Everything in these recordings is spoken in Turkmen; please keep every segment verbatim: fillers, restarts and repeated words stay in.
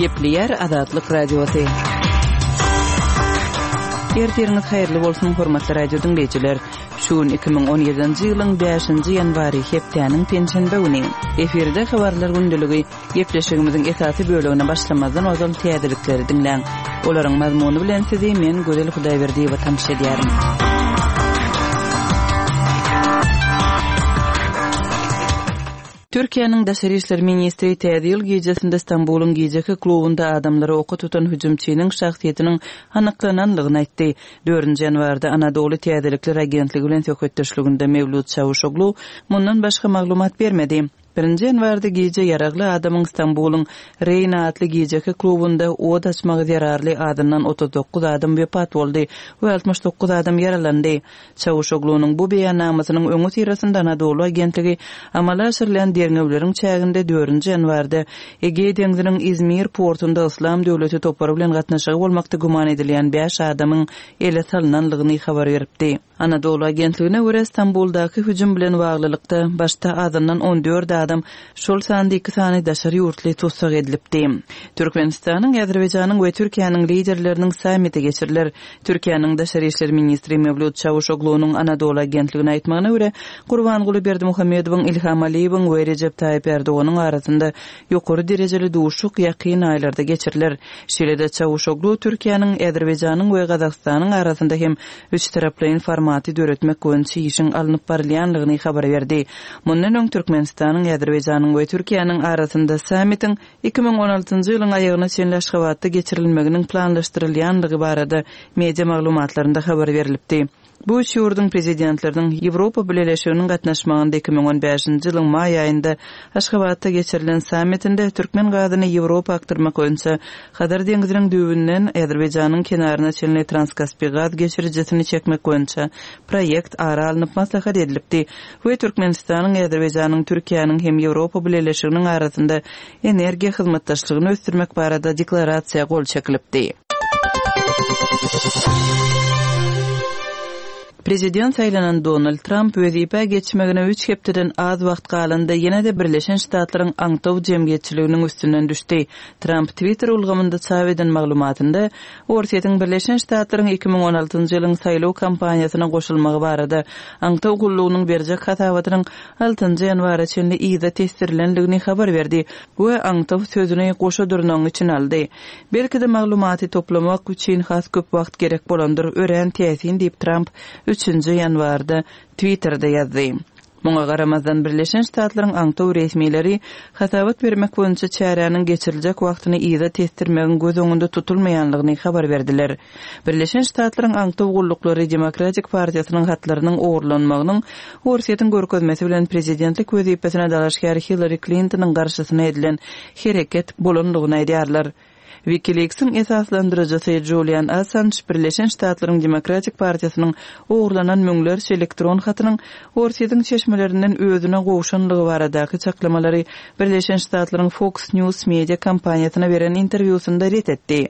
Gepleýär Azatlyk Radiosy. Ertiriňiz haýyrly bolsun, hormatly radio diňleýjiler. Şu gün iki müň on ýedinji ýylyň bäşinji ýanwary, hepdäniň penşenbe güni. Efirde habarlar gündeligi. Gepleşigimiziň esasy bölegine başlamazdan ozal täzelikleri diňläň. Olaryň mazmuny bilen sizi men Gözel Hudaýberdiýewa tanyş edýärin. Türkiýäniň daşary işler ministri Täze ýyl gijesinde Stambulyň gijeki klubunda adamlary oka tutan hüjümçiniň şahsyýetiniň anyklananlygyny aýtdy. Dördünji ýanwarda Anadoly täzelikler agentligi bilen söhbetdeşliginde Mewlüt Çawuşoglu mundan başga maglumat bermedi. Birinji ýanwarda gije ýaragly adamyň Stambulyň Reýna atly gijeki klubunda ot açmagy zerarly azyndan otuz dokuz adam wepat boldy we altmyş dokuz adam ýaralandy. Çawuşoglunyň bu beýannamasynyň öňüsyrasynda Anadolu agentligi amala aşyrylýan derňewleriň çäginde dördünji ýanwarda Egeý deňziniň Izmir portunda Yslam döwleti topary bilen gatnaşygy bolmakda güman edilýän bäş adamyň ele salynanlygyny habar beripdi. Anadolu agentligine görä, Stambuldaky hüjüm bilen baglylykda başda azyndan on dört adam, şol sanda iki sany daşary ýurtly tussag edilipdi. Türkmenistanyň, Azerbaýjanyň we Türkiýäniň liderleriniň sammiti geçiriler. Türkiýäniň daşary işler ministri Mewlüt Çawuşoglunyň Anadolu agentligine aýtmagyna görä, Gurbanguly Berdimuhamedowyň, Ilham Aliýewiň we Rejep Taýyp Erdoganyň arasynda ýokary derejeli duşuşyk ýakyn aýlarda geçiriler. Şeýle-de Çawuşoglu Türkiýäniň, Azerbaýjanyň we Gazagystanyň arasynda hem üç taraplaýyn formaty döretmek boýunça işiň alnyp barylýanlygyny habar berdi. Mundan öň Türkmenistanyň, Azerbaýjanyň we Türkiýäniň arasynda sammitiň iki müň on altynjy ýylyň aýagyna çenli Aşgabatda geçirilmeginiň planlaşdyrylýanlygy barada media maglumatlarynda habar berilipdi. Bu üç ýurduň prezidentleriniň Ýewropa Bileleşiginiň gatnaşmagynda iki müň on bäşinji ýylyň maý aýynda Aşgabatda geçirilen sammitinde türkmen gazyny Ýewropa akdyrmak boýunça Hazar deňziniň düýbünden Azerbaýjanyň kenaryna çenli Transkaspi gaz geçirijisini çekmek boýunça proýekt ara alnyp maslahat edilipdi we Türkmenistanyň, Azerbaýjanyň, Türkiýäniň hem Ýewropa Bileleşiginiň arasynda energiýa hyzmatdaşlygyny ösdürmek barada deklarasiýa gol çekilipdi. Prezident saýlanan Donald Tramp wezipä geçmegine üç hepdeden az wagt galanda ýene-de Birleşen Ştatlaryň aňtaw jemgyýetçiliginiň üstünden düşdi. Tramp Twitter ulgamynda çap eden maglumatynda Orsýetiň Birleşen Ştatlaryň iki müň on altynjy ýylyň saýlaw kampaniýasyna goşulmagy barada aňtaw gullugynyň berjek hasabatynyň altynjy ýanwara çenli yza tesdirilendigini habar berdi we aňtaw sözüni goşa dyrnagyň içine aldy. Belki-de maglumaty toplamak üçin has köp wagt gerek bolandyr, örän täsin diýip Tramp üçünji ýanwarda Twitter'de ýazdy. Muňa garamazdan Birleşen Ştatlaryň aňtaw resmileri hasabat bermek boýunça çäräniň geçiriljek wagtyny yza tesdirmegiň göz öňünde tutulmaýanlygyny habar berdiler. Birleşen Ştatlaryň aňtaw gulluklary Demokratik partiýasynyň hatlarynyň ogurlanmagynyň Orsýetiň görkezmesi bilen prezidentlik wezipesine dalaşgär Hillary Clintonyň garşysyna edilen hereket bolanlygyny aýdýarlar. WikiLeaks'in esaslandyryjysy Julian Assange Birleşen Ştatlaryň Demokratik partiýasynyň ogurlanan müňlerçe elektron hatynyň Orsýetiň çeşmelerinden özüne gowşanlygy baradaky çaklamalary Birleşen Ştatlaryň Fox News media kompaniýasyna beren interwýusynda ret etdi.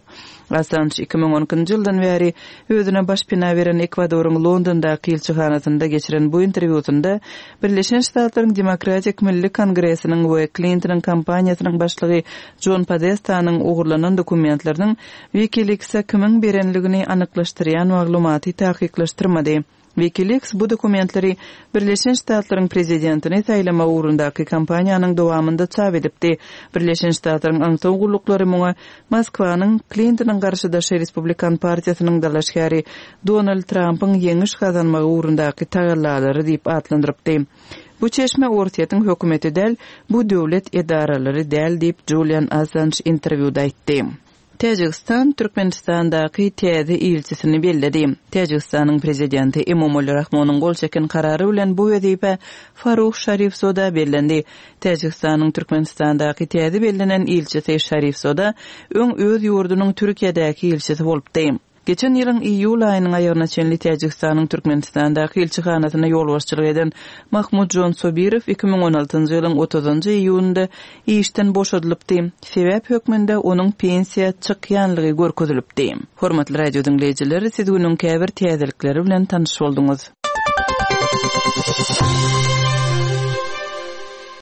Assange iki müň on ikinji ýyldan bäri özüne baş pina beren Ekwadoryň Londondaky ilçihanasynda geçiren bu interwýusynda Birleşen Ştatlaryň Demokratik Milli Kongresiniň we Clintonyň kampaniýasynyň başlygy John Podestanyň ogurlanan dokumentleriniň WikiLeaks'e kimiň berenligini anyklaşdyrýan maglumaty takyklaşdyrmady. WikiLeaks bu dokumentleri Birleşen Ştatlaryň prezidentini saýlama ugrundaky kampaniýanyň dowamynda çap edipdi. Birleşen Ştatlaryň aňtaw gulluklary muňa Moskwanyň Clintonyň garşydaşy Respublikan partiýasynyň dalaşgäri Donald Trumpyň ýeňiş gazanmagy ugrundaky tagallalary diýip atlandyrypdy. Bu çeşme Orsýetiň hökümeti däl, bu döwlet edaralary däl diýip Julian Assange interwýuda aýtdy. Täjigistan Türkmenistandaky täze ilçisini belledi. Täjigistanyň prezidenti Emomali Rahmonyň gol çeken karary bilen bu wezipe Farruh Şarifzoda bellendi. Täjigistanyň Türkmenistandaky täze bellenen ilçisi Şarifzoda öň öz ýurdunyň Türkiýedäki ilçisi bolupdy. Geçen ýylyň iýul aýynyň aýagyna çenli Täjigistanyň Türkmenistandaky ilçihanasyna ýolbaşçylyk eden Mahmudjon Sobirow iki müň on altynjy ýylyň otuzynjy iýunynda işden boşadylypdy. Sebäp hökmünde onuň pensiýa çykýanlygy görkezilipdi. Hormatly radio diňleýjiler, siz günüň käbir täzelikleri bilen tanyş bolduňyz.